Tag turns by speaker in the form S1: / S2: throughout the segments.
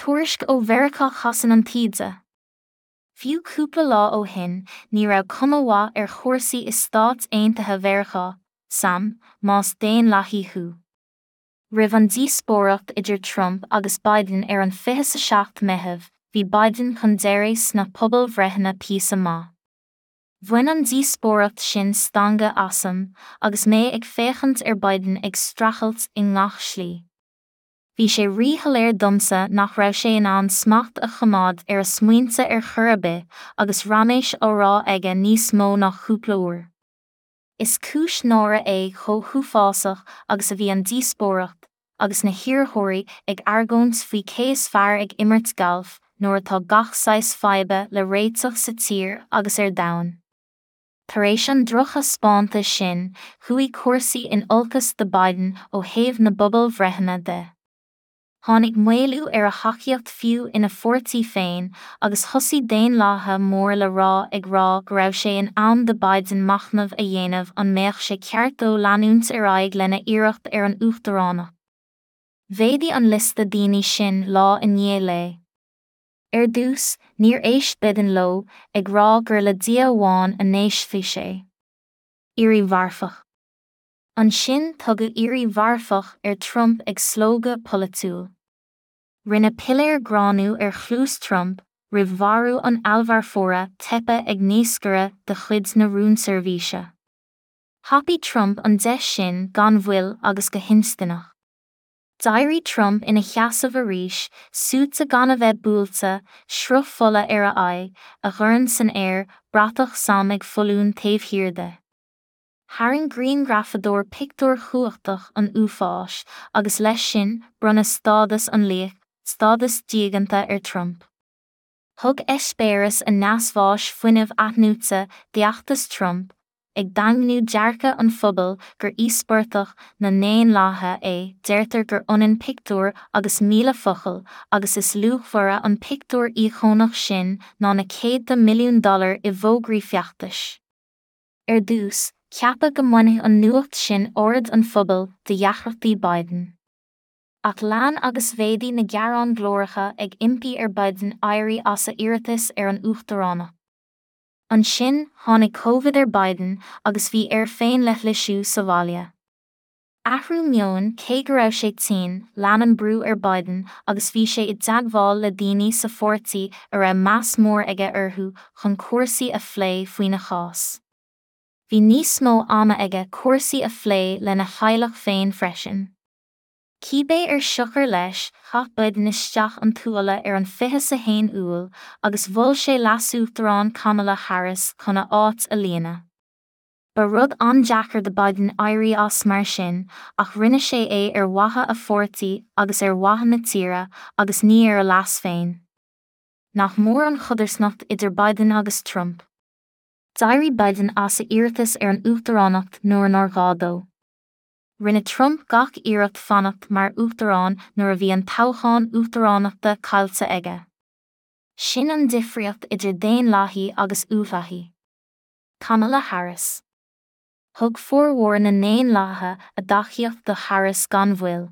S1: Tuairisc ó Mheiriceá Casann an taoide. Fiú cúpla lá ó shin, ní raibh cuma mhaith ar chúrsaí i Stáit Aontaithe Mheiriceá, sam, más daonlathaí thú. Roimh an díospóireacht idir Trump agus Biden ar an 27 Meitheamh, bhí Biden chun deiridh sna pobalbhreitheanna píosa maith. Bhain an díospóireacht sin stangadh asam agus mé ag féachaint ar Biden ag streachailt i ngach slí. Bhí sé ríshoiléir domsa nach raibh sé in ann smacht a choimeád ar a smaointe ar chor ar bith agus raiméis á rá aige níos mó ná cúpla uair. Is cúis náire é chomh huafásach agus a bhí an díospóireacht, agus na hiarrthóirí ag argóint faoi cé is fearr ag imirt gailf nuair atá gach saghas faidhbe le réiteach sa tír agus ar domhan. Tar éis an drochthaispeántais sin, chuaigh cúrsaí in olcas do Biden ó thaobh na bpobalbhreitheanna de. Tháinig maolú ar a thacaíocht fiú ina pháirtí féin agus thosaigh daonlathaithe mór le rá ag rá go raibh sé in am do Biden machnamh a dhéanamh an mbeadh sé ceart dó leanúint ar aghaidh lena iarracht ar an uachtaránacht. Mhéadaigh an liosta daoine sin lá i ndiaidh lae. Ar dtús, níor éist Biden leo, ag rá gur le Dia amháin a n-éistfeadh sé. Iarraidh mharfach. Ansin tugadh iarraidh mharfach ar Trump ag slógadh polaitiúil. Rinne piléar gránú ar chluas Trump roimh mharú an fheallmharfóra teipthe ag naoscaire de chuid na rúnseirbhíse. Thapaigh Trump an deis sin gan mhoill agus go hinstinneach. D'éirigh Trump ina sheasamh arís, suaite gan a bheith buailte, sruth fola ar a aghaidh, a dhorn san aer, bratach sam ag foluain taobh thiar de. Tharraing grianghrafadóir pictiúr cumhachtach an uafáis agus leis sin bronnadh stádas an laoich, stádas diaganta ar Trump. Thug eispéireas a neasbháis fuinneamh athnuaite d'fheachtas Trump, ag daingniú dearcadh an phobail gur íospartach na ndaonlathaithe é deirtear gur ionann pictiúr agus 1,000 focal agus is luachmhaire an pictiúr íocónach sin ná na céadta milliún dollar i bhfógraí feachtais. Ar dtús, ceapadh go mbainfeadh an nuacht sin aird an phobail de dheacrachtaí Biden. Ach lean agus mhéadaigh na gearáin ghlóracha ag impí ar Biden éirí as a iarratas ar an uachtaránacht. Ansin, tháinig Covid ar Biden agus bhí air féinleithlisiú sa bhaile. Athrú meoin Cé go raibh sé tinn, lean an brú ar Biden agus bhí sé i dteagmháil le daoine sa pháirtí a raibh meas mór aige orthu chun cúrsaí a phlé faoina chás. Bhí níos mó ama aige cúrsaí a phlé lena theaghlach féin freisin. Cibé ar siocair leis, chaith Biden isteach an tuáille ar an 21 Iúil agus mhol sé leasuachtarán Kamala Harris chun a áit a líonadh. Ba rud an-deacair do Biden éirí as mar sin ach rinne sé é ar mhaithe a pháirtí agus ar mhaithe na tíre agus ní ar a leas féin. Nach mór an chodarsnacht idir Biden agus Trump. D'éirigh Biden as a iarratas ar an uachtaránacht nuair nár ghá dó. Rinne Trump gach iarracht fanacht mar uachtarán nuair a bhí an toghchán uachtaránachta caillte aige. Sin an difríocht idir daonlathaí agus uathlathaí. Kamala Harris. Thug formhór na ndaonlathaithe a dtacaíocht do Harris gan mhoill.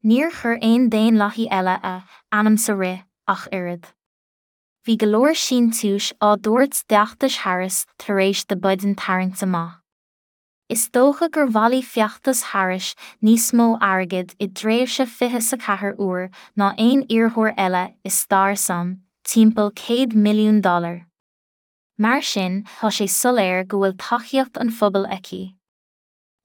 S1: Níor chuir aon daonlathaí eile a ainm sa rith ach oiread. Bhí go leor síntiúis á dtabhairt d'fheachtas Harris tar éis do Biden tarraingt amach. Is dócha gur bhailigh feachtas Harris níos mó airgid i dtréimhse 24 uair ná aon iarrthóir eile i stair sam, timpeall 100 milliún dollar. Mar sin, tá sé soiléir go bhfuil tacaíocht an phobail aici.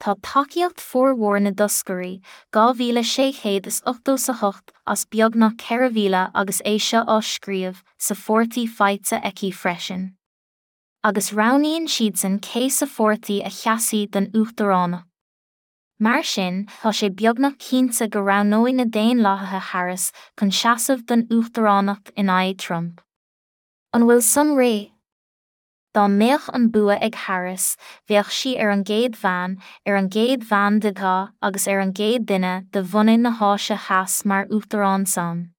S1: Tá tacaíocht formhór na dtoscairí, 2,688 as beagnach 4,000 agus é seo á scríobh, sa pháirtí faighte aici freisin. Agus roghnaíonn siadsan cé sa pháirtí a sheasfaidh don uachtaránacht. Mar sin, tá sé beagnach cinnte go roghnóidh na Daonlathaithe Harris chun seasamh don uachtaránacht in aghaidh Trump. An bhfuil san réidh? Dá mbeadh an bua ag Harris, bheadh sí ar an gcéad bhean, ar an gcéad bhean de dhath agus ar an gcéad duine de bhunadh na hÁise Theas mar Uachtarán sam.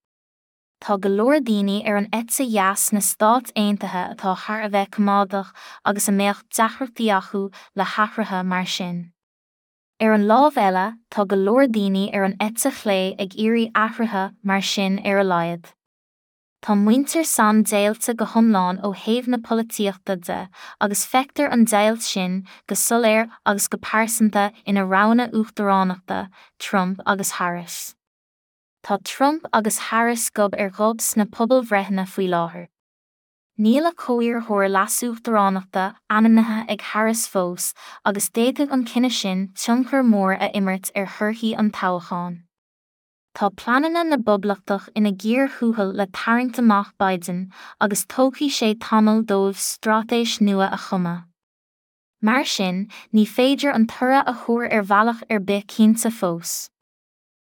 S1: Tá go leor daoine ar an eite dheas sna Stáit Aontaithe atá thar a bheith coimeádach agus a mbeadh deacrachtaí acu le hathruithe mar sin. Ar an lámh eile, tá go leor daoine ar an eite chlé ag iarraidh athruithe mar sin ar a laghad. Tá muintir sam deighilte go hiomlán ó thaobh na polaitíochta de agus feictear an deighilt sin go soiléir agus go pearsanta ina roghanna uachtaránachta, Trump agus Harris. Tá Trump agus Harris gob ar ghob sna pobalbhreitheanna faoi láthair. Níl a comhiarrthóir leasuachtaránachta ainmnithe ag Harris fós agus d'fhéadfadh an cinneadh sin tionchar mór a imirt ar thorthaí an toghcháin. Tá pleananna na bPoblachtach ina gcíor thuathail le tarraingt amach Biden agus tógfaidh sé tamall dóibh straitéis nua a chumadh. Mar sin, ní féidir an toradh a thuar ar bhealach ar bith cinnte fós.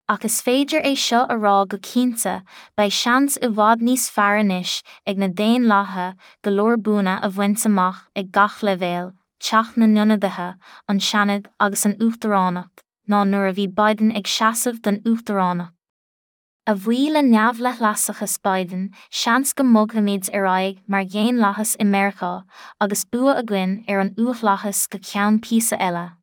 S1: Ach is féidir é seo a rá go cinnte, beidh seans i bhfad níos fearr anois ag na Daonlathaithe go leor buanna a bhaint amach ag gach leibhéal, Teach na nIonadaithe, an Seanad agus an Uachtaránacht, ná nuair a bhí Biden ag seasamh don Uachtaránacht. A bhuí le neamhleithleasachas Biden, seans go mbogfaimid ar aghaidh mar dhaonlathas i Meiriceá, agus bua againn ar an uathlathas go ceann píosa eile.